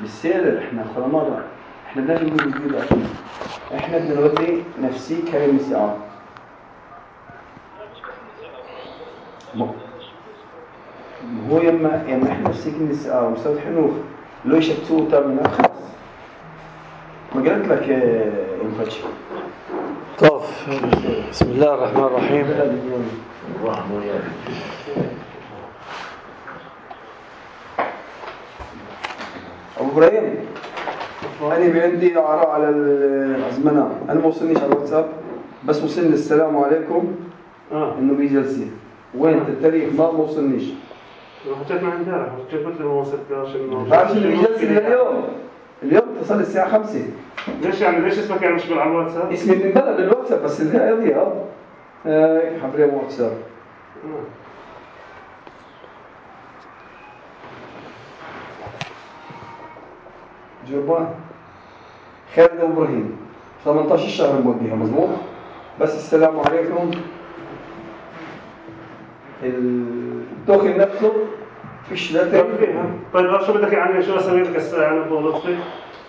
بالسير احنا خرمانة احنا بدنا نقول جديد احنا بدنا نودي نفسي كريم الساعة هو يما احنا نفسي كريم الساعة وأستاذ حنوف لو يشتوه تامنا خلاص ما قلت لك ينفتش. طب بسم الله الرحمن الرحيم. أبو إبراهيم أنا عندي إعارة على الأزمنة أنا ما وصلنيش على الواتساب بس وصلني السلام عليكم إنه بيجلسي وين التاريخ ما وصلنيش. حكيت مع امبارح قلت له ما وصلتش إنه عارف إنه بيجلسي اليوم اتصل الساعة 5. ليش يعني ليش اسمك يعني مشغول على الواتساب؟ اسمي من بلد الواتساب بس الهاي يضيع حضري مو واتساب. جربان خالد إبراهيم 18 شهر موديها مظبوط بس السلام عليكم الدخل نفسه فيش لا طيب شو بدك يعني شو اسوي لك يعني بوظيفتك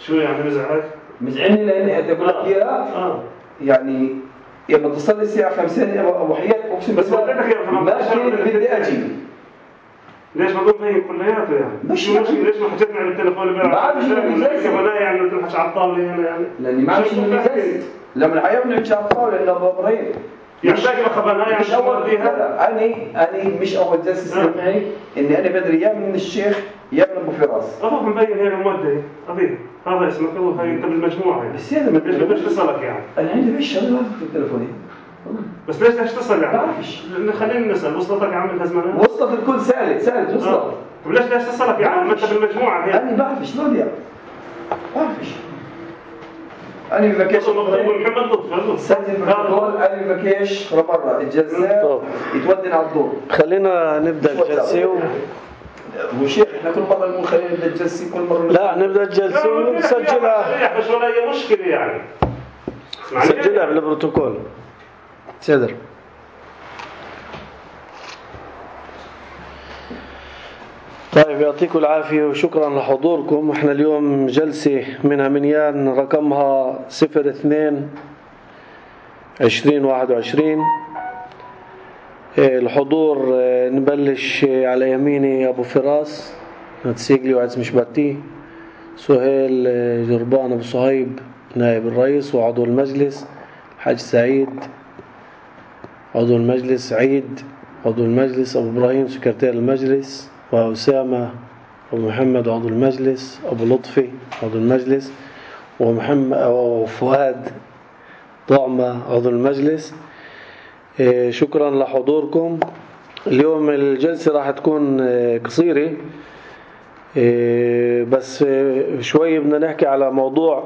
شو يعني مزعلني لاني اقول لك اياها يعني لما تصل لي الساعه 5 ابو حياة اقسم بس قلت لك يا محمد بدي اجي ليش ما فاهم كلياته يعني مش ليش ما حكيت معي بالتليفون ما بعرف شو ولا يعني قلت لك على الطاوله هنا يعني لاني ما بعرف شو بجلس لما الحياه بنحكي على الطاوله لانه ابو ابراهيم يعني باقي خبرنا يعني مش اول فيها انا مش اول جلسه يصير معي اني انا بدري يا من الشيخ يا من ابو فراس ابوك مبين هنا مودي ابي هذا اسمك هو انت بالمجموعه يعني بس انا ليش اتصلك يعني انا عندي ايش شغله في تليفوني بس ليش تتصل يعني؟ بعرفش خلينا نسال وصلتك يا عم الهزمانه؟ وصلت الكل سالت وصلت طيب ليش تتصلك يعني ما انت بالمجموعه هيك؟ انا بعرفش ما بيعرف بعرفش انا بكيش محمد لطفي سجل بروتوكول انا بكيش برا الجلسات يتودن على الدور. خلينا نبدا الجلسه وشيخ احنا كل مره نقول خلينا نبدا الجلسه كل مره لا نبدا الجلسه ونسجلها مش ولا اي مشكله يعني سجلها بالبروتوكول سيدر. طيب يعطيكم العافية وشكرا لحضوركم. احنا اليوم جلسة منها منيان رقمها 02/20/21. الحضور نبلش على يميني أبو فراس نتسيقلي وعز مشباتي سهيل جربان أبو صهيب نائب الرئيس وعضو المجلس حاج سعيد عضو المجلس عيد عضو المجلس أبو إبراهيم سكرتير المجلس وأسامة أبو محمد عضو المجلس أبو لطفي عضو المجلس ومحمد أو فؤاد طعمة عضو المجلس. شكرا لحضوركم. اليوم الجلسة راح تكون قصيرة بس شوي بدنا نحكي على موضوع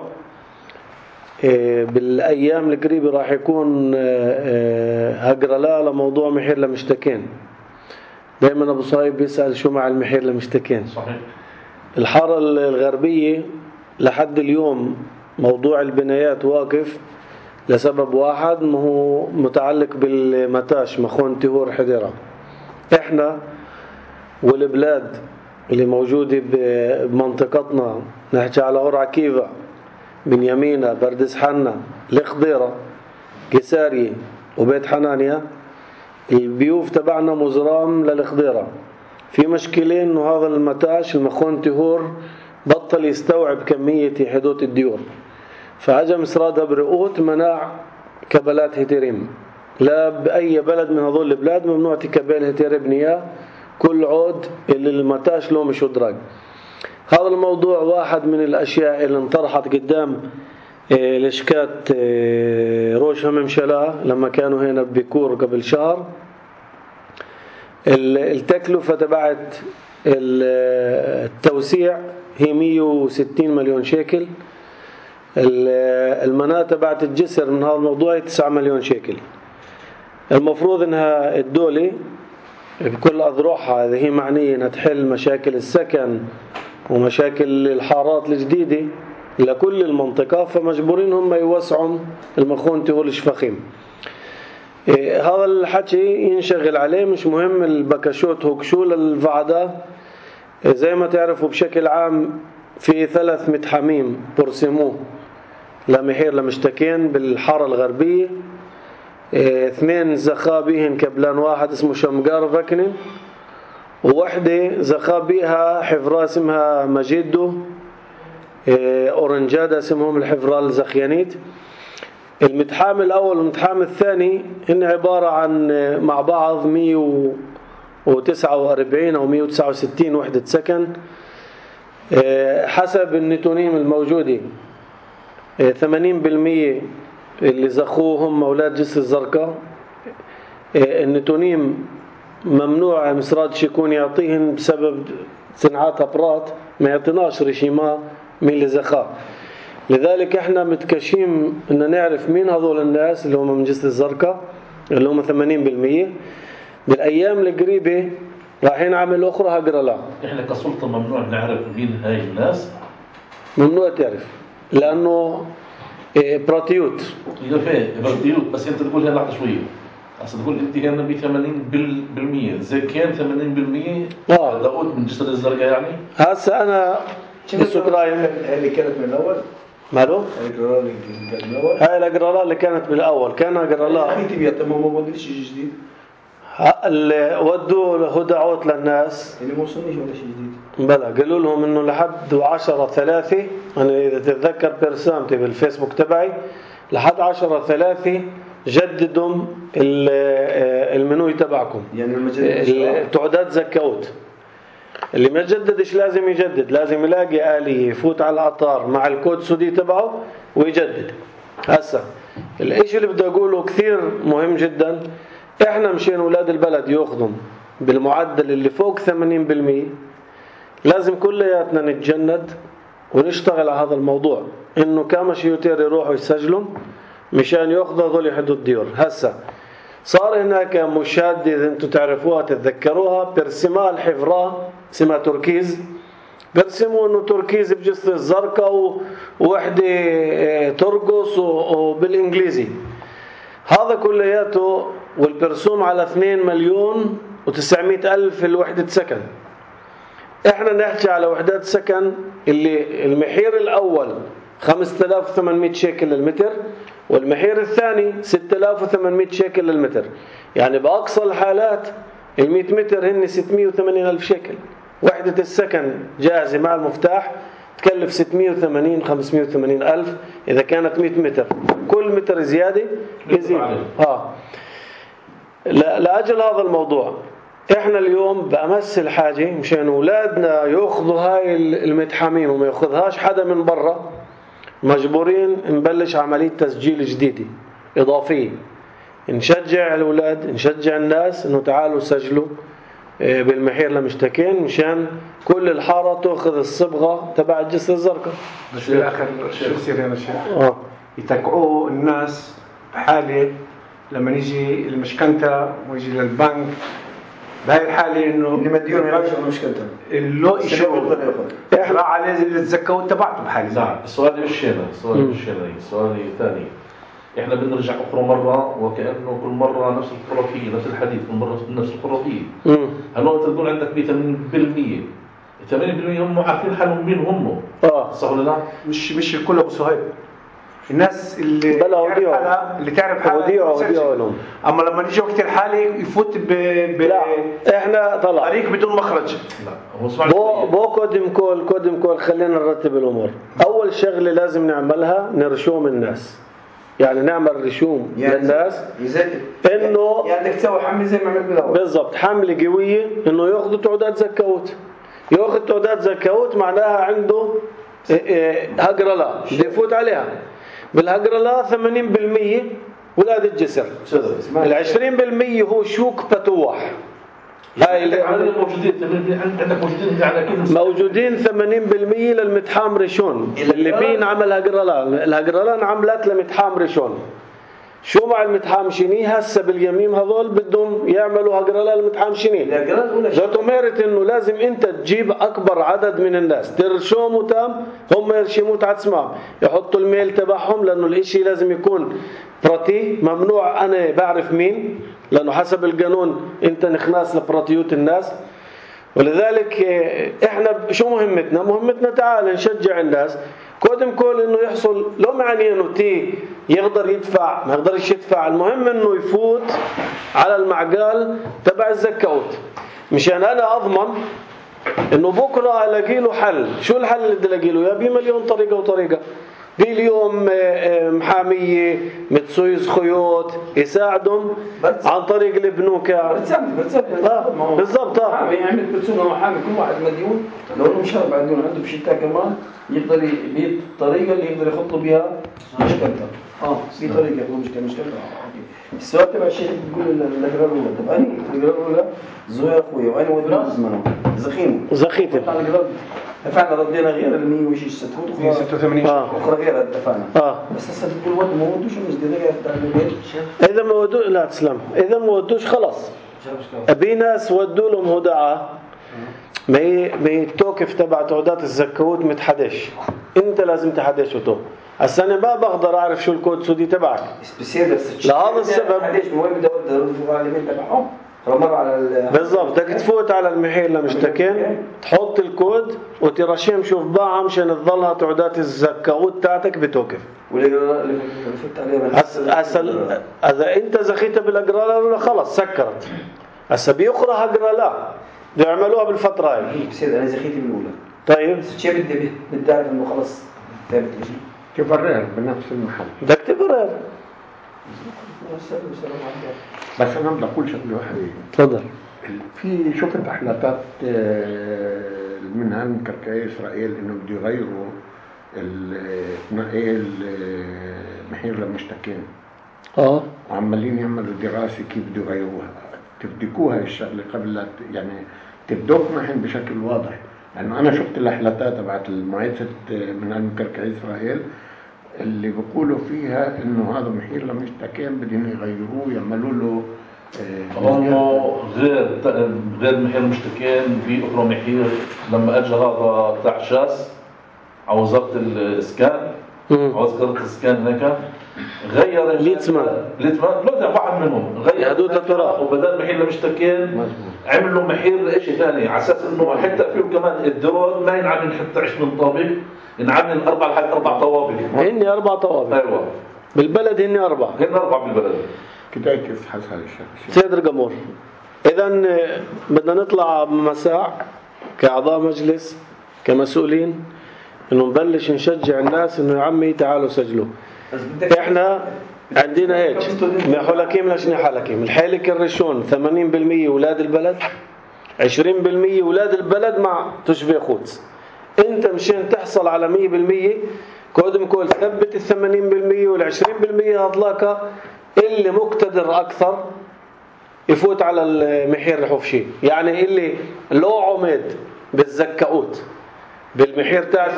بالأيام القريبة راح يكون هقرلاء لموضوع محير لمشتكين. دائما أبو صايب بيسأل شو مع المحير لمشتكين. صحيح. الحارة الغربية لحد اليوم موضوع البنايات واقف لسبب واحد ما هو متعلق بالمتاش مخون تهور حديرة. احنا والبلاد اللي موجودة بمنطقتنا نحكي على قرعة كيفا بنيامينا بردس حنا الخضيرة قسارية وبيت حنانيا البيوف تبعنا مزرام للخضيرة. في مشكلة انه هذا المتاش المخون تهور بطل يستوعب كمية حدوث الديور فأجا مسرادها برؤوت مناع كبلات هتيريم. لا بأي بلد من هذول البلاد ممنوع تكبل هتير بنياه كل عود اللي المتاش له مش ادراج. هذا الموضوع واحد من الأشياء اللي انطرحت قدام لشكات روش هممشلا لما كانوا هنا ببيكور قبل شهر. التكلفة تبعت التوسيع هي 160 مليون شيكل. المناة تبعت الجسر من هذا الموضوع 9 مليون شيكل. المفروض انها الدولة بكل أذرعها هذه هي معنية انها تحل مشاكل السكن ومشاكل الحارات الجديدة لكل المنطقة فمجبورين هم يوسعوا المخون تهول الشفخيم. هذا الحكي ينشغل عليه مش مهم البكشوت هوكشو للفعدة. زي ما تعرفوا بشكل عام في 3 متحامين برسموه لمحير لمشتكين بالحارة الغربية. 2 زخا بيهن كبلان واحد اسمه شمقار فكنن، ووحدة زخا بيها حفرة اسمها مجيدو، أورنجادا اسمهم الحفرة الزخيانيت. المتحام الأول والمتحام الثاني هن عبارة عن مع بعض 149 أو 169 وحدة سكن حسب النتونيم الموجودة. 80% اللي زخوهم أولاد جسر الزرقاء. النتونيم ممنوع مصراد شيكون يعطيهن بسبب صناعات أبراط، ما يعطيناش رشيمة من اللي زخاه. لذلك احنا متكشين ان نعرف مين هذول الناس اللي هم من جسر الزرقاء اللي هم 80%. بالايام القريبه راح نعمل اخرى هجرلا. احنا كسلطه ممنوع نعرف مين هاي الناس، ممنوع تعرف لانه براتيوت. براتيوت. بس انت تقول هلا شويه، اصل تقول انت هنا ب 80% زي كان 80% داود من جسر الزرقاء يعني. هسه انا السكرايم اللي كانت من الاول ماله؟ الجرالة اللي كانت من الاول، هاي الجرالة اللي كانت بالاول كان جرالة اخي تبي تمام ما بديش شيء جديد. اللي ودوا هدى عوت للناس اللي ما وصلنيش ولا شيء جديد. بلا قالوا لهم انه لحد 10/3 انا اذا تتذكر برسامتي بالفيسبوك تبعي لحد 10/3 جددوا المنوي تبعكم، يعني تعداد زكوت. اللي ما جددش لازم يجدد، لازم يلاقي آلية يفوت على الأطار مع الكود سودي تبعه ويجدد. هسا الاشي اللي بدي أقوله كثير مهم جدا. احنا مشان أولاد البلد يأخذوا بالمعدل اللي فوق 80%، لازم كلياتنا نتجند ونشتغل على هذا الموضوع، انه كما شيوتير يروحوا يسجلوا مشان يأخذوا هذول حدود ديور. هسا صار هناك مشادة إذا انتم تعرفوها تتذكروها، برسمها الحفرة اسمها تركيز، برسموا انه تركيز بجسر الزرقاء ووحدة ترقص وبالانجليزي. هذا كلياته والبرسوم على 2,900,000 الوحدة سكن. احنا نحكي على وحدات سكن اللي المحير الاول 5,800 شيكل للمتر، والمحير الثاني 6,800 شيكل للمتر. يعني بأقصى الحالات 100 متر هن 680,000 شيكل. وحدة السكن جاهزة مع المفتاح تكلف 680-580,000 إذا كانت 100 متر. كل متر زيادة يزيد. لأجل هذا الموضوع احنا اليوم بأمس الحاجة مشان أولادنا يأخذوا هاي المتحامين وما يأخذهاش حدا من برا، مجبورين نبلش عملية تسجيل جديدة إضافية. نشجع الأولاد، نشجع الناس إنه تعالوا سجلوا بالمحير لمشتكين مشان كل الحارة تأخذ الصبغة تبع الجسر الزرقاء. بس بالآخر شو بصير هنا شيخ؟ يتقعوا الناس بحالة لما يجي المشكنتة ويجي للبنك بهاي الحالة إنه اللي مديون يعيش مشكلته اللو يشوف إحنا عليه اللي تزكوا تبعته بحالة. نعم. السؤال مش هنا، السؤال ثاني. إحنا بنرجع أخرى مرة وكأنه كل مرة نفس الخرافية، نفس الحديث، كل مرة نفس الخرافية. هل أنت تقول عندك 80%؟ 80% هم عارفين حالهم مين هم. صح ولا لا؟ مش الكل أبو صهيب. الناس اللي تعرف حالها اما لما يجي وقت الحالي يفوت لا احنا طريق بدون مخرج. لا هو بو كودم كول خلينا نرتب الامور. اول شغله لازم نعملها نرشوم الناس، يعني نعمل رشوم للناس انه يعني بدك تسوي حمله زي ما عملت بالاول بالضبط، حمله قويه انه ياخذوا تعداد زكوت. ياخذ تعداد زكوت معناها عنده هجرلا بده يفوت عليها. بالهجرلا 80% ولاد الجسر، 20% هو شوك بتوح. هاي اللي موجودين 80% للمتحام ريشون اللي بين عمل هجرلا. الهجرلا انعملت لمتحام ريشون. شو مع المتحام شيني هسه باليمين هذول بدهم يعملوا هجرلا المتحام شيني. ذاته ميرت انه لازم انت تجيب اكبر عدد من الناس ترشوموا تام، هم يرشموا تعتسمام يحطوا الميل تبعهم، لانه الاشي لازم يكون براتي. ممنوع انا بعرف مين، لانه حسب القانون انت نخناس لبراتيوت الناس. ولذلك احنا شو مهمتنا؟ مهمتنا تعال نشجع الناس قدم كل انه يحصل، لو معني انه يقدر يدفع ما يقدرش يدفع، المهم انه يفوت على المعقال تبع الزكوت، مشان انا اضمن انه بكره الاقي له حل. شو الحل اللي بدي الاقي له؟ يا بمليون طريقه وطريقه. باليوم محاميه متسويس خيوط يساعدهم عن طريق البنوك. بالضبط. يعمل بتسونا محامي، كل واحد مديون لو انه مش اربع ديون عنده بشتاء كمان يقدر يبيت الطريقه اللي يقدر يخط له بها مشكلته. في طريقه يخط مشكلته. السؤال تبع الشيخ بيقول الاقرار الاولى، طب انا الاقرار الاولى زوير اخويا وانا ودنا زمنه زخيته دفعنا ردينا غير ال 100 وشي 86 اخرى غير دفعنا. بس هسه كل وقت ما ودوش مش غير بتاع البيت. اذا ما ودوا لا تسلم، اذا ما ودوش خلاص. ابي ناس ودوا لهم هدعه ما هي التوقف تبع تعداد الزكوت متحدش، انت لازم تحدش وتو. هسه انا ما بقدر اعرف شو الكود السودي تبعك لهذا السبب. وين بدي اودي الفقراء تبعهم بالضبط. بدك تفوت على المحير لمشتكين تحط الكود وترشم شوف باعها مشان تظلها تعداد الزكوت تاعتك بتوقف. هسه اذا انت زخيتها بالاقرار ولا خلص سكرت. هسه بيقرا اقرا لا بيعملوها بالفتره هاي. بصير انا زخيتي بالاولى. طيب شو بدي اعرف انه خلص ثابت لي تبرر بنفس المحل. بدك تبرر. بس انا بدي اقول شغله واحده. تفضل. في شفت احلاتات من هالكركاي اسرائيل انه بده يغيروا تنقيل محير للمشتكين. وعمالين يعملوا دراسه كيف بده يغيروها. تبدكوها الشغله قبل لا يعني تبدوك محن بشكل واضح. لانه انا شفت الاحلاتات تبعت المعيسه من هالكركاي اسرائيل اللي بيقولوا فيها انه هذا محير لمشتكين بدهم يغيروه يعملوا له غير محير مشتكين. في اخرى محير لما اجى هذا بتاع شاس على وزاره الاسكان وزاره الاسكان هناك غير ليتمان لا واحد منهم غير حدود التراب وبدل محير لمشتكين عملوا محير شيء ثاني على اساس انه حتى فيه كمان الدور ما ينعمل حتى 20 طابق، ينعمل 4 طوابق. هن 4 طوابق. ايوه بالبلد هن 4 بالبلد. كده يفحص هذا الشيء. سيد القمور، اذا بدنا نطلع مساء كاعضاء مجلس كمسؤولين انه نبلش نشجع الناس انه يا عمي تعالوا سجلوا. احنا عندنا هيك حلكيم لشني حلكيم الحالك الرشون 80% ولاد البلد 20% ولاد البلد مع تشبيه خودس. انت مشان تحصل على 100% قدم كل ثبت 80% وال20% هطلاك اللي مقتدر اكثر يفوت على المحير الحفشي. يعني اللي لو عمد بالزكاوت بالمحير تاع 80%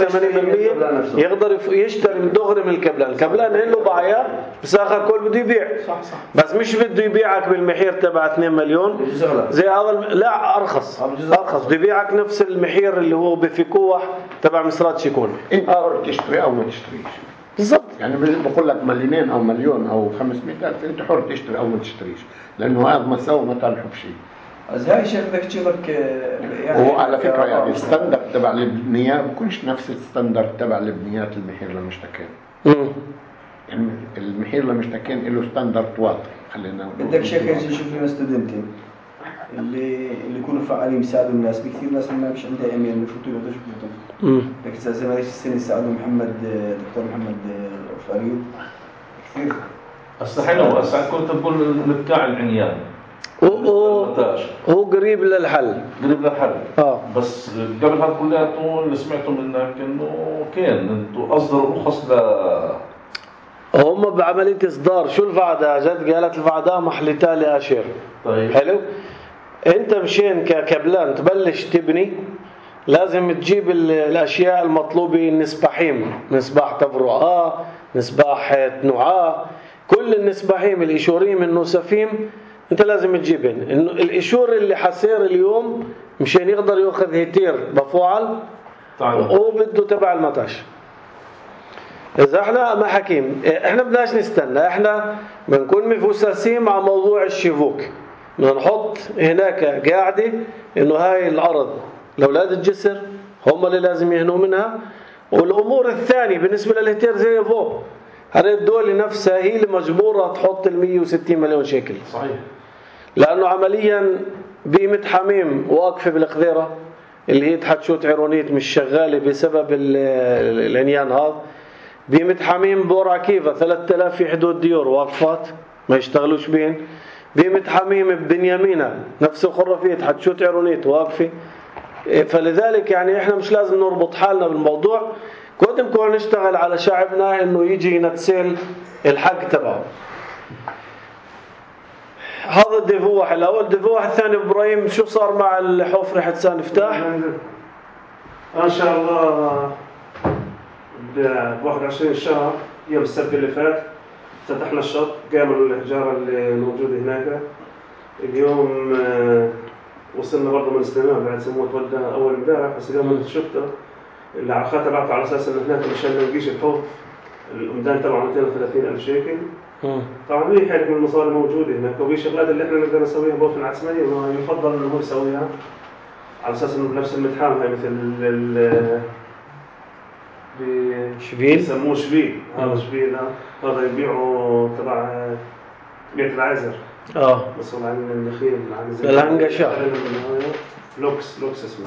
يقدر يشتري من دغري من الكبلان له بايع بس اخر كل بده يبيع. بس مش بده يبيعك بالمحير تبع 2 مليون زي هذا لا ارخص بده يبيعك نفس المحير اللي هو بفكوح تبع مسرات شيكون. انت حر تشتري او ما تشتريش بالضبط. يعني بقول لك مليونين او مليون او 500,000 انت حر تشتري او ما تشتريش لانه هذا مساوي مثلا حبشي. بس هاي شيء بدك تشوفك يعني وعلى فكره يعني الستاندرد تبع البنيات بكونش نفس الستاندرد تبع البنيات المحير للمشتكين. يعني المحير للمشتكين له ستاندرد واضح. خلينا بدك شيخ يجي يشوف لنا ستودنتين اللي يكونوا فعالين يساعدوا الناس. بكثير ناس ما مش عندها ايميل بفوتوا له تشوفوا بدك زي ما ليش السنه يساعدوا دكتور محمد فريد كثير. هسه حلو. هسه كنت بقول نتكاع العنيان هو قريب للحل بس قبل هذا كلياته اللي سمعته منك انه كان انتم اصدروا رخص هم بعمليه اصدار. شو الفعدة؟ جد قالت الفعدة محلتها لاشير. طيب حلو. انت مشان ككبلان تبلش تبني لازم تجيب الاشياء المطلوبه. النسباحيم نسباح تبرعاء نسباح نوعاء كل النسباحيم الاشوريم النوسفيم انت لازم تجيبن. انه الاشور اللي حسير اليوم مشان يقدر ياخذ هيتير بفعل هو بده تبع المطاش. اذا احنا ما حكيم احنا بدناش نستنى. احنا بنكون مفوسسين مع موضوع الشيفوك بدنا نحط هناك قاعدة إنه هاي الأرض لأولاد الجسر هم اللي لازم يهنوا منها. والأمور الثانية بالنسبة للهتير زي فوق هذه الدولة نفسها هي اللي مجبورة تحط 160 مليون شيكل. صحيح. لأنه عمليا بيمة حميم واقفة بالخضيرة اللي هي تحتشوت عيرونيت مش شغالة بسبب العنيان هذا. بيمة حميم بور عكيفة 3000 في حدود ديور واقفات ما يشتغلوش بين. بيمة حميم ببنيامينة نفس الخرافية تحتشوت عيرونيت واقفة. فلذلك يعني احنا مش لازم نربط حالنا بالموضوع، قدم كون نشتغل على شعبنا انه يجي ينتسل الحق تبعه. هذا الدفوح الاول. الدفوح الثاني ابراهيم شو صار مع الحفرة حتى نفتح؟ ان شاء الله ب 21 شهر يوم السبت اللي فات فتحنا الشط، قاموا الحجارة اللي موجودة هناك. اليوم وصلنا برضه من استلمام بعد سموه تودى اول امبارح، بس اليوم شفته العلاقات تبعته على اساس انه هناك مشان ما نلقيش الحوض الامدان تبعه 230,000 شيكل. طبعا هي حالة من المصاري موجوده هناك، وفي شغلات اللي احنا نقدر نسويها بوفن عسميه يفضل انه هو يسويها على اساس انه بنفس المتحام هاي مثل شبيل يسموه شبيل. هذا شبيل هذا يبيعوا تبع بيت العازر مسؤول عن النخيل عن الهنجشة لوكس اسمه.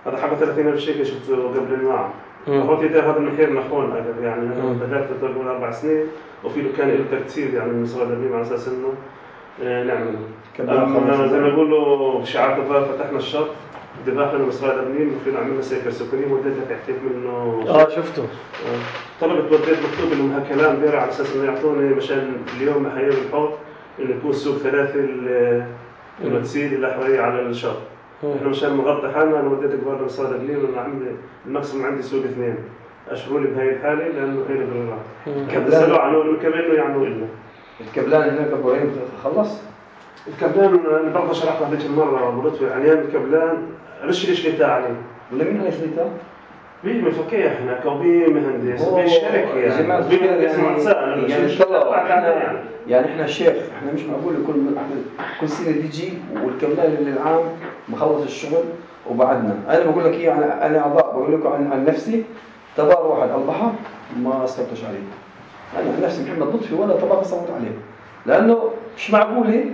هذا حقه 30,000 شيكل شفته قبل المعه. أخوتي هذا المحير نخون أجل يعني بدأت تقول 4 سنين وفي له كان له ترتيب يعني من مسؤول الدبليم على أساس إنه نعمله. زي ما يقولوا بشعار دبار فتحنا الشط دباح لنا مسؤول الدبليم وفي عملنا سيكل سكري وديت لك احتيت منه. شفته. طلبت وديت مكتوب لهم هالكلام بيرع على أساس إنه يعطوني مشان اليوم محير الحوض إنه يكون سوق 3 المتسيل إلى حوالي على الشط. إحنا مشان نغطي حالنا أنا وديت كبار مسؤول الدبليم وأنا عندي المقسم عندي سوق 2 أشغل بهاي الحالة لأنه هي البريرات. سألوا عنه إنه كمان إنه يعملوا إلنا. الكبلان هناك أبوين خلص. الكبلان أنا برضه شرحنا هذيك المرة بلطفي عنيان الكبلان رش ليش ليتا عليه. ولا مين ليش ليتا؟ بيه مفكية هناك وبيه مهندس وبيه شركة يعني. بيه مهندس معصان. يعني إحنا الشيخ إحنا مش معقول كل سنة تيجي والكبلان اللي العام مخلص الشغل وبعدنا. أنا بقول لك إيه أنا أعضاء بقول لكم عن نفسي تبار واحد البحر ما صوتش عليه. أنا عن نفسي محمد لطفي ولا تبار صوت عليه لأنه مش معقولة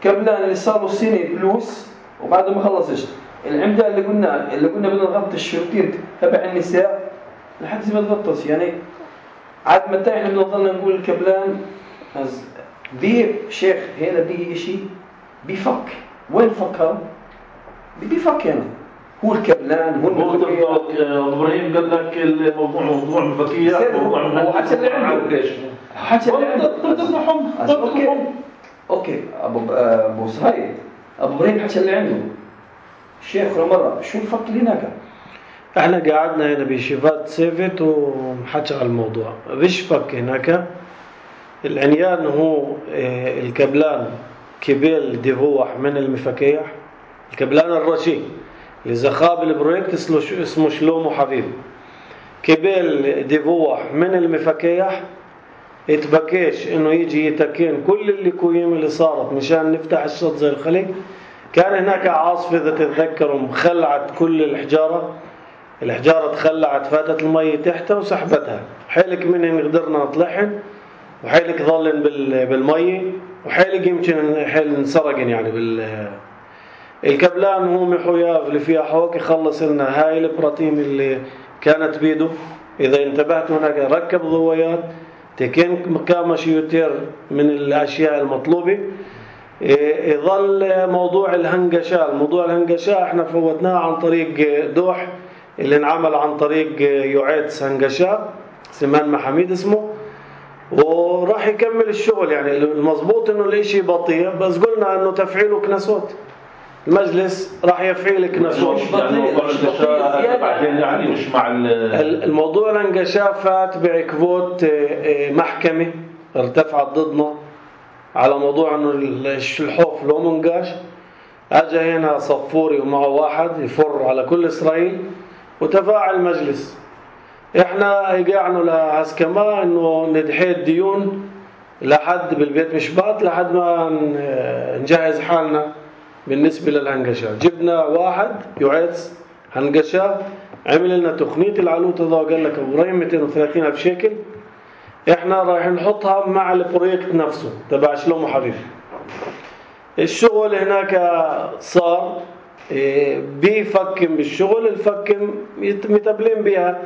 كبلان اللي صاروا سنة فلوس وبعده ما خلصش. العمدة اللي قلنا بدنا نغطي الشروطين تبع النساء لحد زي ما تغطس يعني عاد متى احنا بنضلنا نقول الكبلان بي شيخ هنا بيجي إشي بيفك. وين فكر؟ بيفك هنا هو الكبلان هو ابراهيم قال لك الموضوع موضوع مفكية هو حتى اللي عنده حتى اللي عنده اوكي ابو صهيب ابو ابراهيم حتى اللي عنده الشيخ مرة شو الفك اللي هناك؟ احنا قعدنا هنا بشيفات سيفت ومحكي على الموضوع. فيش فك هناك. العنيان هو الكبلان كبيل ديفوح من المفكيح. الكبلان الرشي اللي زخاب البرويكت اسمه شلوم وحبيب. كبيل ديفوح من المفكيح اتبكيش انه يجي يتكين كل اللي كويم اللي صارت مشان نفتح الشط زي الخليج. كان هناك عاصفة إذا تتذكروا مخلعت كل الحجارة تخلعت فاتت المية تحتها وسحبتها. حيلك منهن قدرنا نطلعهن وحيلك ظلن بالمية وحيلك يمكن حيل نسرقن يعني الكبلان هو محوياف اللي فيها حوك يخلص لنا هاي البراتيم اللي كانت بيده. إذا انتبهتوا هناك ركب ضويات تكين مكامة شيوتير من الأشياء المطلوبة. يظل موضوع الهنجشاء. موضوع الهنجشاء احنا فوتناه عن طريق دوح اللي انعمل عن طريق يعيدس هنجشاء سمان محميد اسمه وراح يكمل الشغل. يعني المضبوط انه الاشي بطيء بس قلنا انه تفعيله كنسوت المجلس راح يفعيل كنسوت يعني مش مع الموضوع الهنجشاء فات بعكبوت محكمة ارتفعت ضدنا على موضوع انه الحوف لو منقاش. اجى هنا صفوري ومعه واحد يفر على كل اسرائيل وتفاعل المجلس. احنا قاعنا لهسكما انه ندحي الديون لحد بالبيت مشبات لحد ما نجهز حالنا بالنسبة للهنقشة. جبنا واحد يعيس هنقشة، عمل لنا تقنية العلوت هذا وقال لك ابراهيم 230,000 شيكل، احنا رايح نحطها مع البروجكت نفسه تبع شلومو حبيب. الشغل هناك صار بيفكم بالشغل، الفكم متبلين بها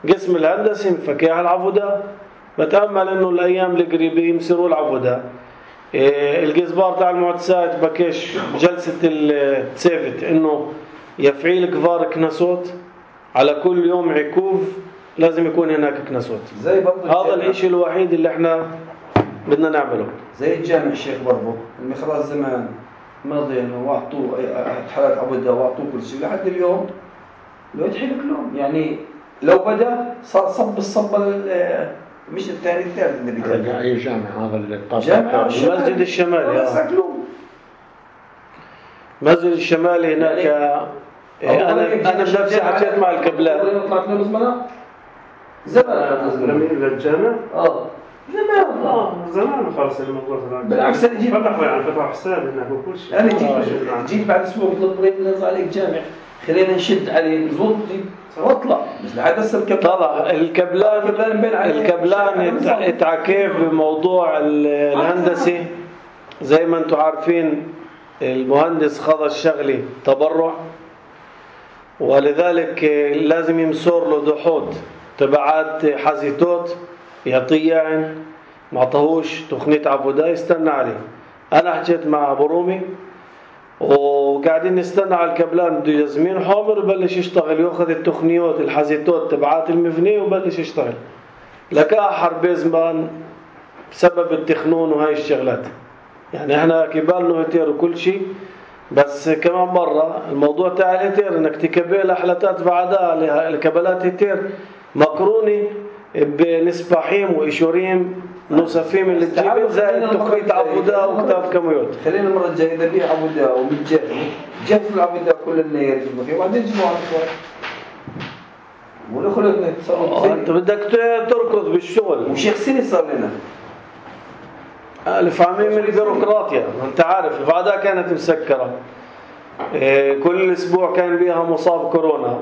قسم الهندسي مفكيها العبودة. بتأمل انه الايام القريبة يمسروا العبودة. الجزبار تاع المعتسات بكش جلسة التسافت انه يفعيل كفار كنسوت على كل يوم عكوف لازم يكون هناك كنسوت. هذا الاشي الوحيد اللي احنا بدنا نعمله. زي الجامع الشيخ برضه المخراج زمان ماضي انه واعطوه حالات عبودة واعطوه كل شيء لحد اليوم لو يتحلك لهم. يعني لو بدأ صار صب الصبة مش الثاني الثالث اللي بيتابع. اي جامع هذا اللي جامع المسجد الشمالي. مسجد الشمالي هناك يعني انا بنفسي حكيت مع الكبلان طلعت له زمان زمان للجامع زمان خلص الموضوع. بالعكس انا جيت يعني فتح حساب هناك وكل شيء. انا جيت بعد اسبوع قلت ابراهيم نزل عليك جامع خلينا نشد عليه نزود واطلع بس لحد هسه طلع الكبلان اتعكيف بموضوع الهندسي. زي ما انتم عارفين المهندس خذ الشغلي تبرع، ولذلك لازم يمسور له دحوت تبعات حزيتوت يعطيه يعني ما عطاهوش تقنية عبودة يستنى عليه. انا حكيت مع ابو رومي وقاعدين نستنى على الكبلان بده يزمين حامر وبلش يشتغل ياخذ التقنيات الحزيتوت تبعات المبنية وبلش يشتغل. لكا حرب زمان بسبب التخنون وهاي الشغلات. يعني احنا كبالنا هتير وكل شيء، بس كمان مرة الموضوع تاع الهتير انك تكبل احلتات بعدها الكبلات هتير مقرونة بنسبحيم وإشوريم نصفيم اللي تجيبين زائد تقنية عبودة وكتاب كميوت. خلينا المرة الجاية إذا بيه عبودة ومتجهز جهزوا العبودة كل النير فيه وبعدين جيبوا على الصور ولا خلقنا تصرف. انت بدك تركض بالشغل. وشيخ سنة صار لنا الفاهمين من البيروقراطيا. انت عارف بعدها كانت مسكرة، كل اسبوع كان بيها مصاب كورونا.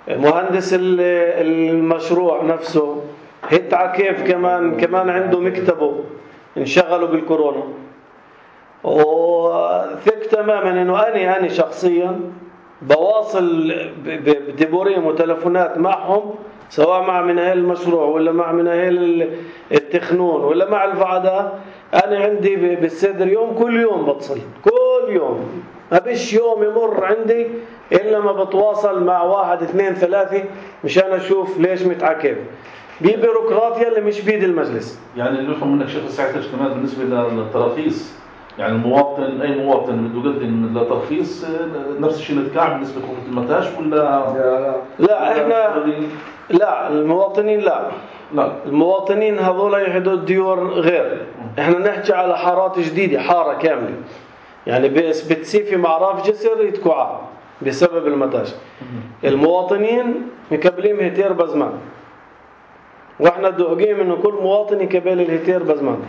مهندس المشروع نفسه هتع كيف كمان عنده مكتبه انشغلوا بالكورونا. وثق تماما انه انا شخصيا بواصل بديبوريم وتلفونات معهم سواء مع مناهل المشروع ولا مع مناهل التخنون ولا مع الفعداء. انا عندي بالصدر يوم كل يوم بتصل كل يوم، ما بيش يوم يمر عندي إلا ما بتواصل مع 1 2 3 مشان أشوف ليش متعكب. بيروقراطيا اللي مش بيد المجلس. يعني اللي يفهم منك شيخ ساعتها كمان بالنسبة للتراخيص، يعني المواطن أي مواطن بده يقدم لترخيص نفس الشيء نتكعب بالنسبة لحكومة المتاش ولا لا إحنا لا المواطنين لا المواطنين هذول يحدوا الديور غير. إحنا نحكي على حارات جديدة حارة كاملة يعني بتسيفي معراف جسر يتكوعا بسبب المتاش. المواطنين مكبلين هتير بزمان واحنا دوقين انه كل مواطن يكبل الهتير بزمان.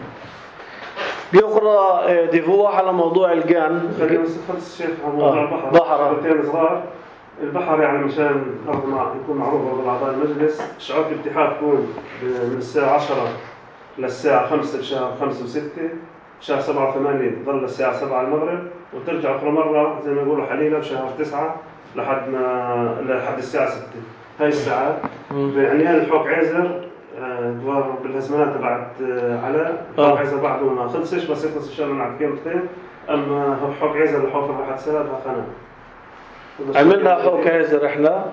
بيقرا ديفوح على موضوع الجان. خلينا نخلص الشيخ على موضوع البحر. صغار البحر يعني مشان يكون معروف بالاعضاء المجلس شعار الاتحاد يكون من الساعه 10 للساعه 5 بشهر 5 و6 شهر 7 و8 تظل الساعه 7 المغرب وترجع اخر مره زي ما يقولوا حليله بشهر 9 لحد الساعه 6. هاي الساعات بعنيان الحوك عيزر دوار بالازمنات تبعت علاء حوك عيزر بعده ما خلصش بس يخلص ان شاء الله مع كلمتين. اما حوك عيزر الحوك راح تسالها قناه عملنا حوك عيزر احنا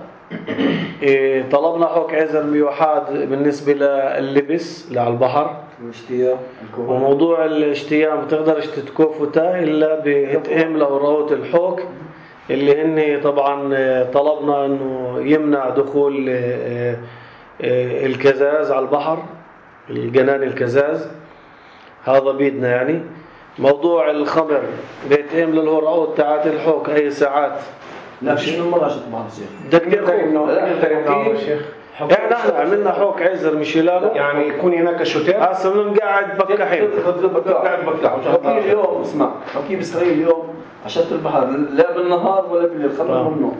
طلبنا حوك عيزر ميوحاد بالنسبه لللبس على البحر الاشتياء وموضوع الاشتياء ما بتقدرش تتكوفتا الا بتقيم لوراوت الحوك اللي هن طبعا طلبنا انه يمنع دخول الكزاز على البحر الجنان الكزاز هذا بيدنا. يعني موضوع الخمر بيتقيم للوراوت تاعت الحوك اي ساعات لا مش من مرة عشان تبحر الشيخ. بدك تقدر شيخ. احنا عملنا حوك عزر مشيلانو يعني يكون هناك شوتير. هسه بنقعد بكحين. قاعد بكح. حكي اليوم اسمع، حكي بإسرائيل اليوم عشان البحر لا بالنهار ولا بالليل، خلوا منه.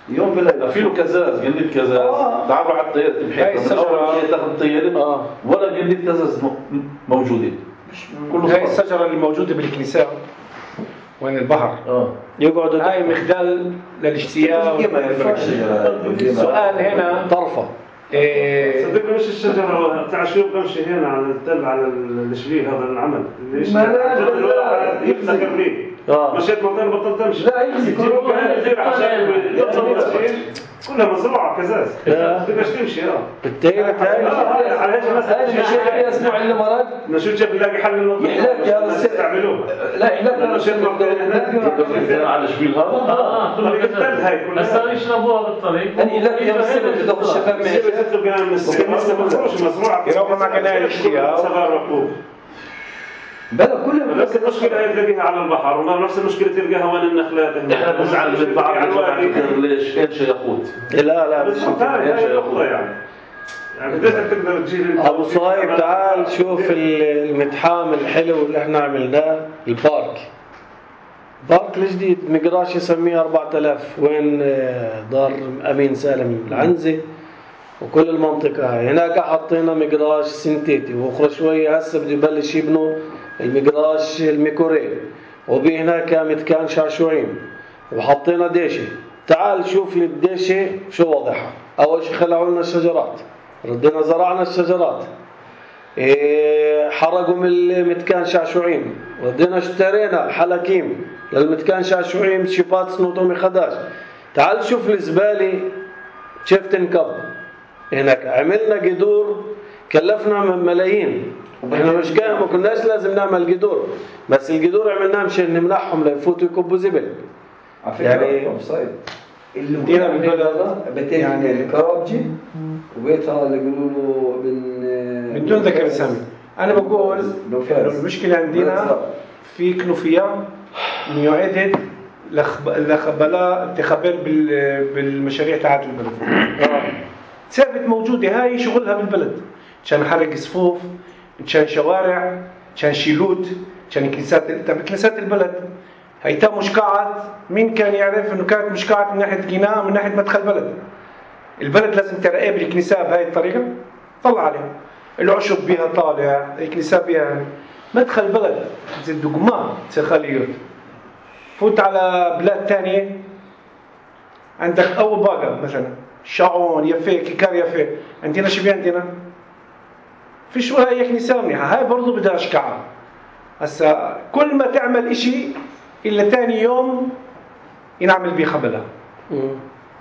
يوم بالليل في له كزاز قلت كزاز تعالوا على الطيارة تبحث من أول شيء تاخذ الطيارة ولا قلت كزاز موجودة كله هاي الشجرة اللي موجودة بالكنيسة وين البحر يقعدوا هاي مخدل للاجتياء. السؤال هنا طرفة صدقني مش الشجرة تاع شو بمشي هنا على التل على الشبيل هذا العمل اللي يفتح قبليه مشيت مكان بطلت امشي. لا يجي كلها مزروعه كزاز بدك تمشي بالتالي على هيك مثلا هذا الاسبوع اللي مرق نشوف جاب نلاقي حل للموضوع يحلك هذا السر تعملوه. لا يحلك هذا السر على الشبيل هذا هاي كلها هسه يشربوها بالطريق يعني لا يا السر تدخل الشباب مزروعه يروحوا مع قناه الاشتياء صغار ركوب بلا كلها نفس المشكله هي تلاقيها على البحر وما نفس المشكله تلقاها وين النخلات. احنا بنزعل من بعض ليش ايش ياخذ لا هاي نقطه يعني قديش تقدر تجيب ابو صهيب تعال شوف المتحام الحلو اللي احنا عملناه البارك الجديد مقراش يسميه 4000 وين دار امين سالم العنزه وكل المنطقه هاي هناك حطينا مقراش سنتيتي واخر شويه هسه بده يبلش يبنوا المقراش الميكوري وبي هناك متكان شعشوعين وحطينا ديشه. تعال شوف لي الديشه شو وضعها. اول شيء خلعوا لنا الشجرات ردنا زرعنا الشجرات حرقوا من المتكان شعشوعين ردنا اشترينا حلاكيم للمتكان شعشوعين شيبات سنوطومي خداش. تعال شوف الزبالة كيف تنكب هناك. عملنا قدور كلفنا ملايين احنا مش كان ما كناش لازم نعمل قدور بس القدور عملناه مشان نمنحهم ليفوتوا يكبوا زبل يعني اللي دينا بالبلد بيتين يعني الكرابجي وبيتها اللي يقولوا له بدون ذكر اسامي. انا بقول المشكله عندنا في كنوفيات ميوعدت لخبلاء انتخابات بالمشاريع تاعت البلد. ثابت موجوده هاي شغلها بالبلد عشان حرق صفوف عشان شوارع عشان شيلوت عشان كنيسات البلد. هيتا مشكعات مين كان يعرف انه كانت مشكعات من ناحيه جناء من ناحيه مدخل بلد. البلد لازم ترقى بالكنيسه بهاي الطريقه طلع عليها العشب بها طالع الكنيسه بها مدخل بلد زي الدقمان سخاليوت. فوت على بلاد تانية عندك أو باقة مثلا شعون يفي كيكار يفي عندنا شو عندنا فيش ولا هي كنيسة منيحة هاي برضو بدها أشكعها. هسا كل ما تعمل إشي إلا تاني يوم ينعمل بيه خبلها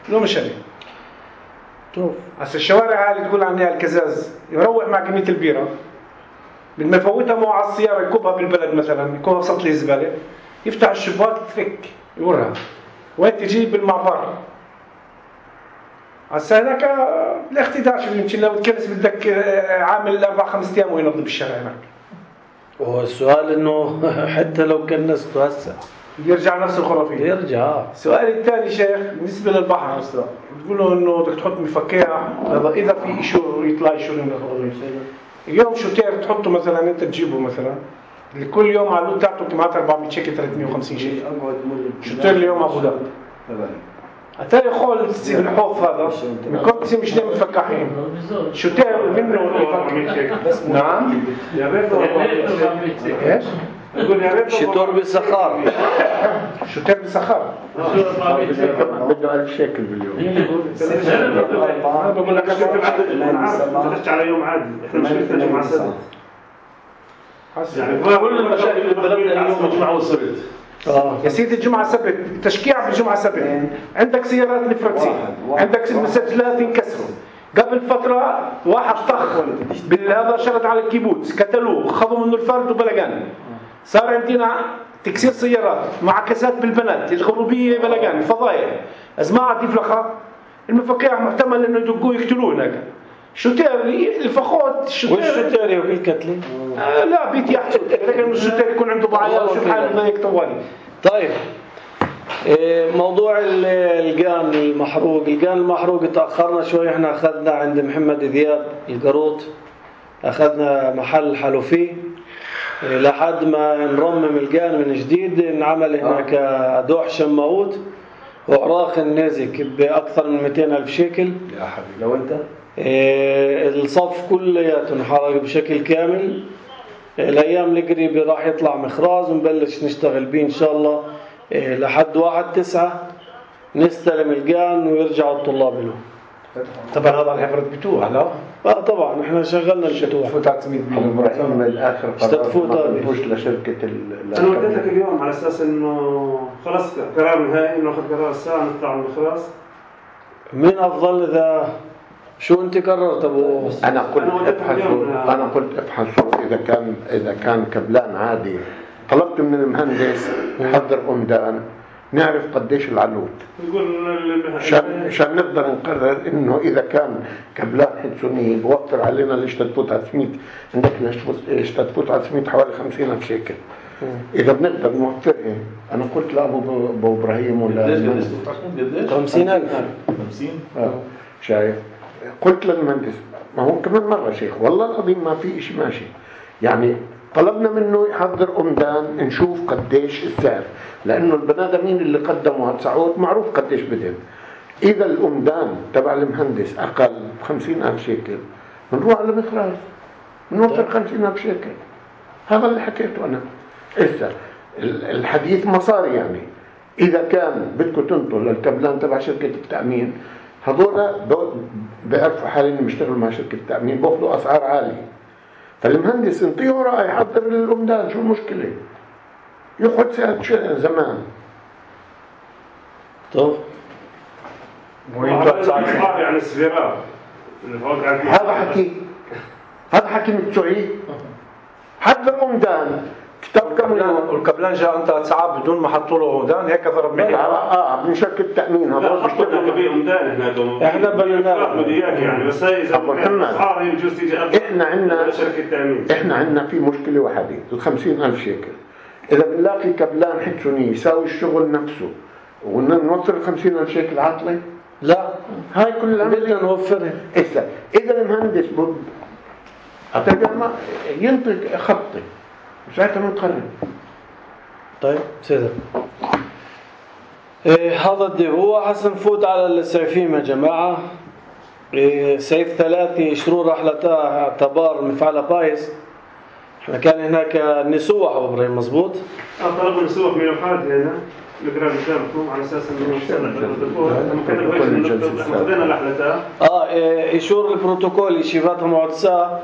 لو مش عليه. هسا الشوارع اللي تقول عنها الكزاز يروح مع كمية البيرة لما يفوتها معه على السيارة يكبها بالبلد مثلا يكبها بسط لي الزبالة يفتح الشباك تفك يورها وين تجيب بالمعبر. هسا هناك الاختداش اللي يمكن لو تكنس بدك عامل 4-5 أيام وينظف الشارع هناك. والسؤال انه حتى لو كنسته هسه يرجع نفس الخرافية يرجع. السؤال الثاني شيخ بالنسبة للبحر بتقولوا انه بدك تحط مفكع اذا في ايشور يطلع ايشور من الخضر. اليوم شوتير تحطه مثلا انت تجيبه مثلا لكل يوم على اللوت تاعته كمعات 400 شيكل 350 شيكل شوتير اليوم ابو ظبي حتى يخول تسيب الحوف هذا بيكون تسيب مش دايما مفكحين شوتير منه بس نعم يا ريت ايش يقول يا ريت شتور بسخار شوتير بسخار بده 1000 شيكل باليوم. انا بقول لك تخش على يوم عادي احنا مشكلتنا جمعة سبت يعني كل المشاكل اللي بلدنا اليوم جمعة وسبت. يا سيدي الجمعة سبت تشكيع بالجمعة سبت عندك سيارات نفرتين عندك مسجلات انكسروا قبل فترة واحد طخ بالهذا شرد على الكيبوتس قتلوه خذوا منه الفرد وبلغان. صار عندنا تكسير سيارات معاكسات بالبنات الغروبية بلغان فضايح أزماعة يفلخها المفكع محتمل انه يدقوه يقتلوه هناك. شوتير الفخوت والشوتير يوكل الكتلة لا بيت يحصل لكن الشوتير يكون عنده ضعيات وشو حاله ضيق طوالي. طيب موضوع الجان المحروق تأخرنا شوي. احنا أخذنا عند محمد ذياب القروط، أخذنا محل حلوفي لحد ما نرمم الجان من جديد. انعمل هناك دوح شماوت وعراق النازك بأكثر من 200,000 شيكل. يا حبيبي لو أنت الصف كلياته انحرق بشكل كامل. الأيام القريبة راح يطلع مخراز ونبلش نشتغل بيه إن شاء الله لحد 1/9 نستلم الجان ويرجعوا الطلاب له. طبعا هذا الحفرة بتوع لا؟ طبعا احنا شغلنا البتوع. فوت على 900 أبو إبراهيم من الآخر قرار ما تفوش لشركة أنا وديت لك اليوم على أساس إنه خلاص قرار نهائي إنه أخذ قرار الساعة نطلع من المخراز. مين أفضل إذا شو أنت قررت أبو؟ أنا قلت ابحثوا إذا كان كبلان عادي. طلبت من المهندس حضر أمدان نعرف قديش العلوت عشان نقدر نقرر إنه إذا كان كبلان حدثوني بوفر علينا ليش تفوت على 100 عندك ليش تفوت على 100 حوالي 50,000 شيكل. إذا بنقدر نوفرها. أنا قلت لأبو إبراهيم ولا 50,000 شايف. قلت للمهندس ما هو كمان مرة شيخ والله العظيم ما في إشي ماشي. يعني طلبنا منه يحضر أمدان نشوف قديش السعر، لأنه البنادمين اللي قدموا هالسعود معروف قديش بدهم. إذا الأمدان تبع المهندس أقل 50,000 شيكل بنروح على مخراج بنوفر 50,000 شيكل. هذا اللي حكيته أنا. إذا الحديث مصاري يعني إذا كان بدكم تنطوا للكبلان تبع شركة التأمين هذولا بيعرفوا حالهم يشتغلوا مع شركة التأمين بأخذوا أسعار عالية. فالمهندس انطيه رأي يحضر الأمدان شو المشكلة يأخذ ساعة زمان. طب يعني السفيرات هذا حكي متسوعي. حضر أمدان كتاب كم والكبلان جاء انت 3 ساعات بدون ما حطوا له أمدان هيك ضرب مني. من شركة التأمين هذول بيشتغلوا بأمدان هناك. احنا بننا مديات يعني بس هي إذا الأسعار يجوز تيجي احنا عندنا في مشكلة واحدة 50,000 شيكل. إذا بنلاقي كبلان حدثوني يساوي الشغل نفسه ونوفر 50,000 شيكل عاطلة لا هاي كل العمل بدنا نوفرها. إذا المهندس ما ينطق خطي وساعتها بنقرر. طيب سيدة هذا هو حسن نفوت على السيفيم يا جماعة. سيف 3 شرور رحلتها اعتبار مفعلة بايس. احنا كان هناك نسوح أبو إبراهيم مزبوط. طلبوا نسوح من الحاد هنا نقرأ قدامكم على أساس إنه خذينا الرحلتها. يشور البروتوكول يشيفاتها معدسة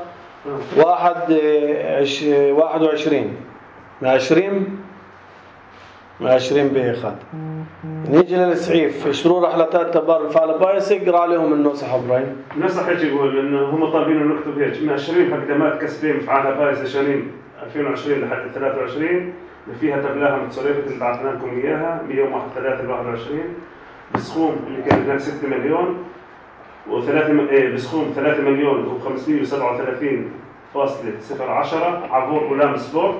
21 من 20 بيخات. نيجي للسعيف شرور رحلتات تبار مفعل بايس يقرأ عليهم النصح إبراهيم. النصح يجي يقول إنه هم طالبين نكتب هيك من 20 خدمات كسبية مفعلها بايس لشهرين 2020 لحد 23 اللي فيها تبلاها متصرفة اللي بعثنا لكم إياها بيوم 1/3/21 بسخوم اللي كان هناك 6 مليون بسخوم 3,537,010 عبور غلام سبورت.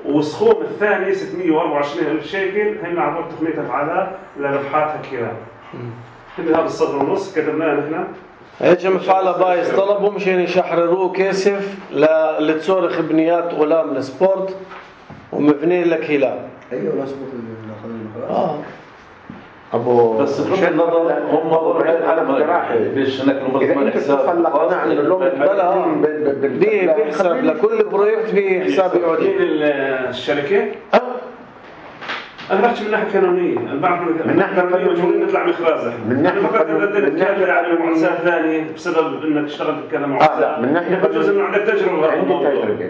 والسخوم الثاني 624,000 شيكل هن عبور تقنية أفعالها لربحاتها كيرا. هذا الصدر ونص كتبناه نحن. ايش مفعلة بايس طلبوا مشان يشحرروه كاسف لتصورخ بنيات غلام السبورت ومبني لك هلال. ايوه لا سبورت اللي اخذ المخراج. ابو بس بغض النظر هم على مراحل بيش ناكلوا مرتبات حساب بيحسب لكل بروجكت بحساب يعود الشركه. انا بحكي من ناحيه قانونيه. انا بعرف من ناحيه قانونيه نطلع مخراج من ناحيه قانونيه على مؤسسات ثانيه بسبب انك تشتغل بكذا مؤسسه من ناحيه بجوز انه عندك تجربه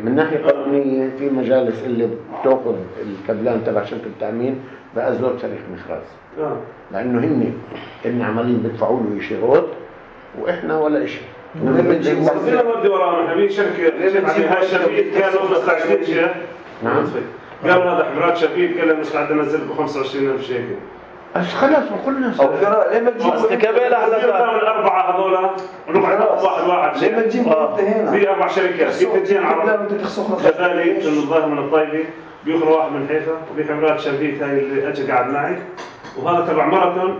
من ناحيه قانونيه في مجالس اللي بتاخذ الكبلان تبع شركه التامين بأزور تاريخ مخراج لانه هن عمالين بيدفعوا له شروط واحنا ولا شيء. ربنا ودي ورانا حبيبي شركه هاي شفيد كانوا مستعدين شيء. نعم قالوا هذا حفرات شفيد كان مستعد انزل ب 25,000 شيكل خلاص قلنا او فراء ليه ما تجيب استكمال احلى الاربعه هذول ربع واحد ليه ما تجيب انت في 4 شركات في 2 عرب جبالي من الظاهر من الطيبه بيخرج واحد من حيفا وفي حمرات شربيت هاي اللي اجى قاعد معي وهذا تبع ماراثون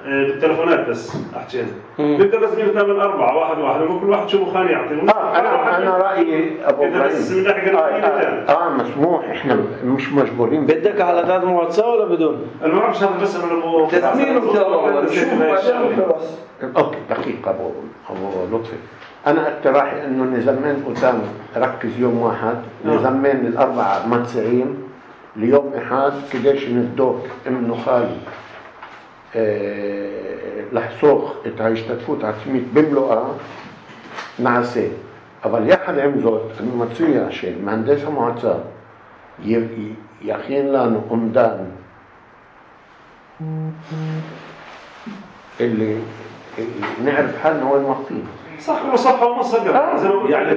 بالتلفونات بس احكي بيقدر بس يعمل 4 واحد وكل واحد شو مخان يعطي انا رايي ابو ابراهيم مسموح احنا مش مجبورين. بدك على 3 محادثة ولا بدون؟ انا ما بعرفش هذا بس انا تسمين اوكي دقيقه ابو لطفي. انا اقتراحي انه نزمن قدام ركز يوم واحد نزمن الاربعه متسعين ليوم احد كداش ندوك انه خالي لحسوق يشتتفوا تعسميت بملؤة نعسي أول يحد عمزوت إنه ما تصير عشان مهندسة معتصاب يخين لانو أمدان اللي نعرف حالنا وين واقفين. صح وصفحة ونص يعني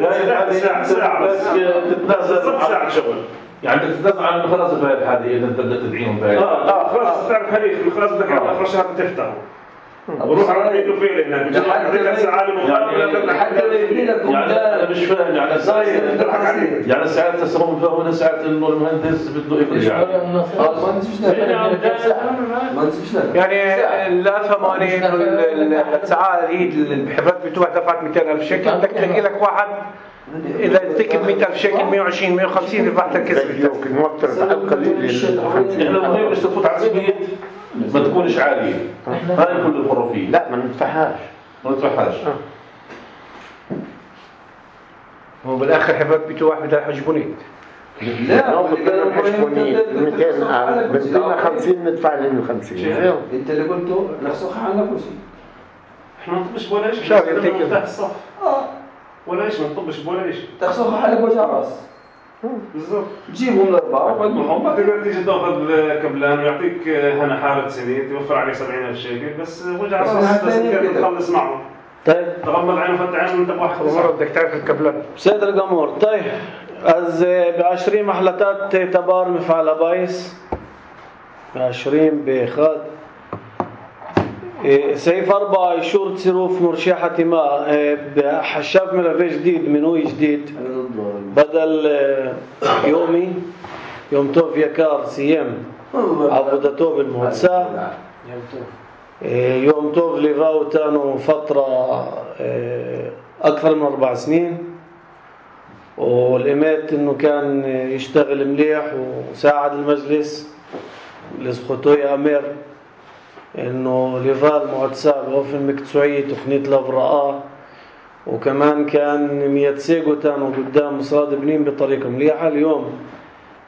ساعة بس تتنازل ساعة شغل. يعني تتنازل عن خلاص بهاي الحالة إذا أنت بدك تدعيهم بهاي. خلاص تعرف خليك خلاص بدك على آخر شهر تفتحه. وروح على الفيل هناك. يعني أنا مش فاهم يعني ساعات تسمون فهمنا ساعات إنه المهندس بده يرجع. يعني لا ثمانية الساعة هي بحبات بتوع دفعت 200,000 شكل بدك تلاقي لك واحد إذا تكتب 100,000 شكل 120 150 ربحت الكسب. يمكن موفر بحال قليل إحنا المهم مش تفوت على السبيل ما تكونش عالية. هاي كل الحرفية. لا ما ندفعهاش. هو بالاخر حبات بيتو واحد بدها يحجبوني. لا بدنا نحجبوني 250 ندفع لهم 50. انت اللي قلته نخسخ عنك كل شيء. احنا ما نطبش ولا شيء. شاف ينتهي تحت الصف. ولا شيء ما نطبش ولا شيء. تخسخ حالك وجه راس. بالضبط. جيبهم الأربعة وقدمهم. تقدر تيجي تاخذ كبلان ويعطيك هنا حالة سنين توفر عليك 70,000 شيكل بس وجع راس بس كيف تخلص معه. طيب تغمض عينه وفتح عينه وانت بواحد مرة بدك تعرف الكبلان. سيد القمور. طيب از ب20 محلتات تبار مفعل بايس 20 بخاد سيف 4 يشور تصيروف مرشحة ماء حشاف ملفي جديد منوي جديد بدل يومي يوم توف يكار سيام عبودته بالموتسا يوم توف ليفاو تانو فترة أكثر من 4 سنين والإمات إنه كان يشتغل مليح وساعد المجلس لسخطو يا أمير إنه ليفال معتصاب وفي المكتسوعية تقنية لفرقاء وكمان كان ميتسيقو تانو قدام مصراد بنين بطريقة مليحة. اليوم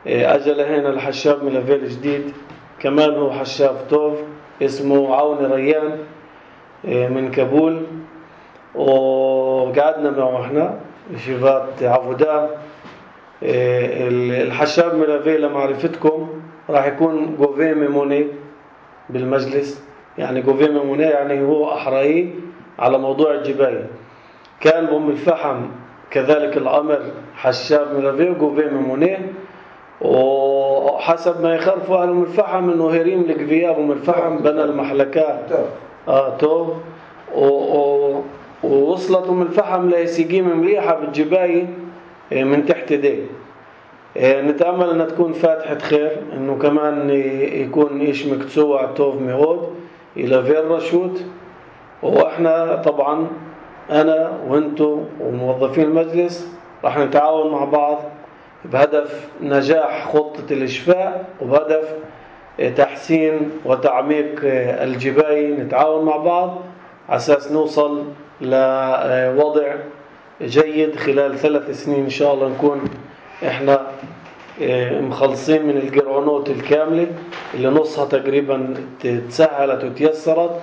أجل هنا الحشاب من لفيل جديد كمان هو حشاب توف اسمه عوني ريان من كابول وقعدنا معه احنا شيفات عبودا. الحشاب من لفيل لمعرفتكم راح يكون جوفيه ميموني بالمجلس يعني جوفيه ميموني يعني هو أحرائي على موضوع الجباية. كان بأم الفحم كذلك الأمر حشاب من لفيل وجوفيه ميموني وحسب ما يخرفوا أهل أم الفحم إنه هريم القبياب أم الفحم بنى المحلكات تو ووصلت أم الفحم لسقيمة مليحة بالجباية من تحت دي. نتأمل أنها تكون فاتحة خير إنه كمان يكون إيش مكتسوع توف ميعود إلى فير رشوت. وإحنا طبعا أنا وإنتو وموظفين المجلس راح نتعاون مع بعض بهدف نجاح خطة الإشفاء وبهدف تحسين وتعميق الجباية. نتعاون مع بعض على أساس نوصل لوضع جيد خلال 3 سنين إن شاء الله نكون إحنا مخلصين من الجرعونات الكاملة اللي نصها تقريبا تسهلت وتيسرت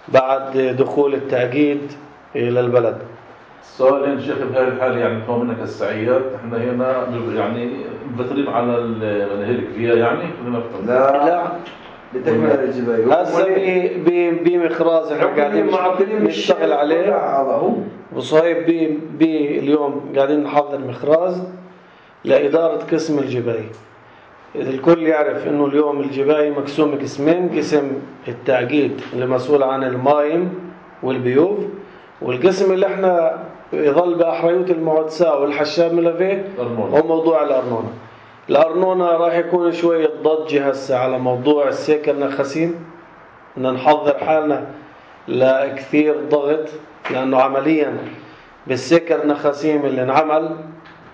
بعد دخول التأكيد للبلد. سؤالين شيخ بهاي الحالة يعني فهم منك السعيات احنا هنا يعني مبترين على الهلك فيها يعني لا بتكمل الجباية هسه بمخراز احنا قاعدين نشتغل عليه وصهيب اليوم قاعدين نحضر مخراز لإدارة قسم الجباية. الكل يعرف انه اليوم الجباية مقسوم قسمين، قسم التأكيد اللي مسؤول عن المايم والبيوف، والقسم اللي احنا يظل بأحرية المعدساء والحشاب ملافيه هو موضوع الأرنونة. الأرنونة راح يكون شوية ضجة هسه على موضوع السيكل نخاسين، بدنا نحضر حالنا لكثير ضغط، لأنه عمليا بالسيكل نخاسيم اللي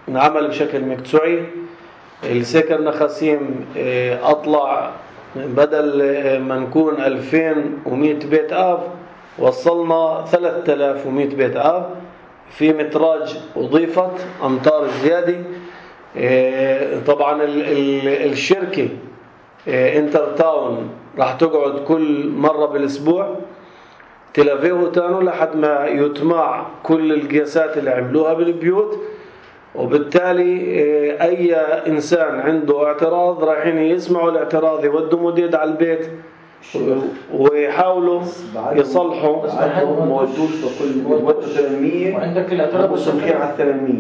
انعمل بشكل مقطوعي. السيكل نخاسيم أطلع بدل ما نكون 2100 بيت آب وصلنا 3100 بيت آب، في متراج أضيفت أمتار زيادة. طبعا الشركة انتر تاون راح تقعد كل مرة بالأسبوع تلافيه تانو لحد ما يتمع كل القياسات اللي عملوها بالبيوت، وبالتالي أي إنسان عنده اعتراض رايحين يسمعوا الاعتراض يودوا مديد على البيت ويحاولوا يصلحوا. عندهم ما ودوش بكل ودوا 800 وعندك الاعتراض وصلحين على 800.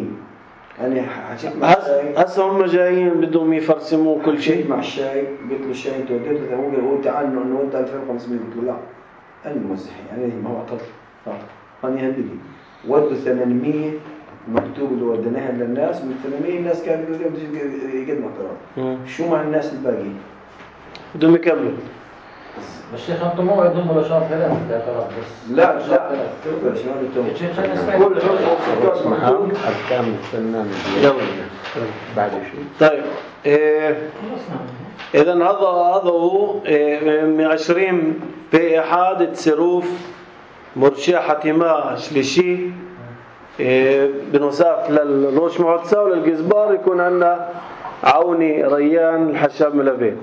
يعني حكيت مع الشاي هسه هم جايين بدهم يفرسموا كل شيء. مع الشاي قلت له الشاي انت وديته 800، هو تعال نود 2500. قلت له لا الموزعين يعني ما هو اعترض فاني هندي ودوا 800 مكتوب اللي وديناها للناس من 800 الناس كانوا يقدموا اعتراض. شو مع الناس الباقي بدهم يكملوا. بس شيخ انتم موعدهم ولا شهر 3 الاعتراض بس؟ لا كل أركان الفنان بعد شيء. طيب إذا هذا هو 20 في إحادة سروف مرشحة ما شليشي بنصاف للروش معدسة وللجزبار يكون عندنا عوني ريان الحشاب ملافيه.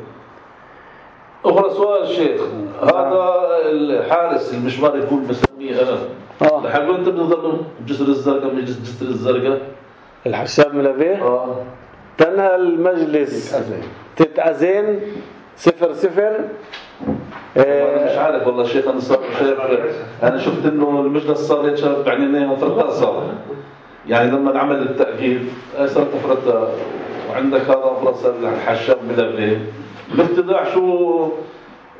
أخرى سؤال شيخ، هذا الحارس المشوار يقول بسميه أنا لحقوا أنت بنظر جسر الزرقاء من جسر الزرقاء الحشاب ملافيه تنهى المجلس تتأذين 0-0. أنا مش عارف والله شيخ، أنا صار شايف أنا شفت إنه المجلس صار يتشرف بعينين فرقة صار يعني لما عمل التأكيد صارت فرقة وعندك هذا فرصة الحشاب ملافيه بالافتضاح. شو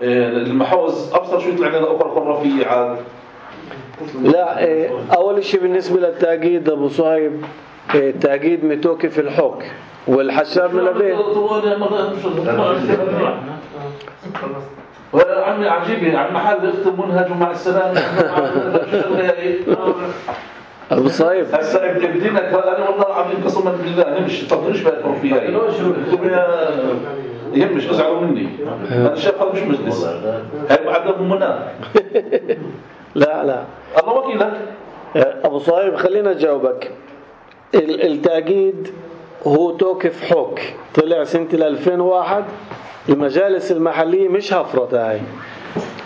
المحوز أبصر شو يطلع لنا أخرى خرافية عاد؟ لا أول شيء بالنسبة للتأكيد أبو صهيب التأكيد متوقف الحك والحشاب ملافيه. عمي عجيبة عم محل اختم منهج ومع السلامة. أبو صهيب هسا بدينك أنا والله العظيم قسما بالله نمشي طب نمشي بقى الخرافية يهمش ازعلوا مني انا شايف هذا مش مجلس هاي عدم منى. لا الله وكيلك ابو صهيب خلينا اجاوبك. التأكيد هو توقف حك طلع سنة 2001. المجالس المحلية مش هفرت هاي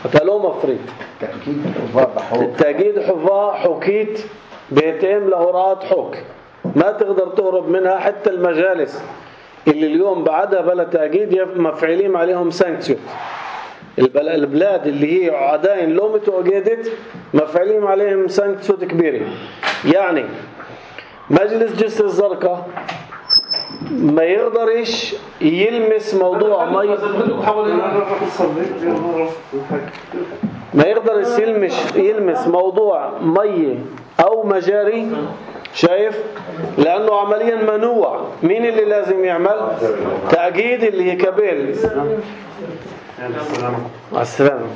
حتى لو مفريت. التأكيد حفاظ حكيت بيتم لهورات حك ما تقدر تهرب منها. حتى المجالس اللي اليوم بعدها بلا تأكيد مفعلين عليهم سانكسيون. البلاد اللي هي عداين لو متواجدت مفعلين عليهم سانكسيون كبيرة. يعني مجلس جسر الزرقاء ما يقدرش يلمس موضوع ما يقدر يلمس موضوع مية أو مجاري. شايف؟ لأنه عمليا منوع. مين اللي لازم يعمل؟ تأكيد اللي هي كابيل. مع السلامة.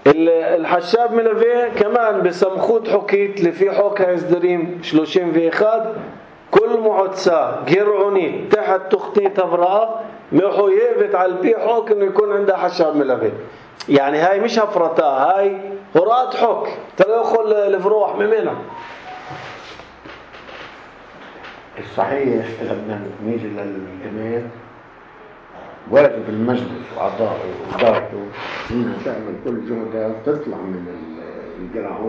الحشاب ملافيه كمان بسمخوت حكيت اللي في حوك هزدريم شلوشين في إخاد كل معدسة جرعوني تحت تخطيط أفراء محو يقبت على البي حوك إنه يكون عنده حشاب ملافيه. يعني هاي مش هفرتها هاي هرات حك تدخل الفروح ممنها. الصحيح لما نيجي للجميع واجب المجلس وأعضائه وإدارته إنها تعمل كل جهدها تطلع من الجرعون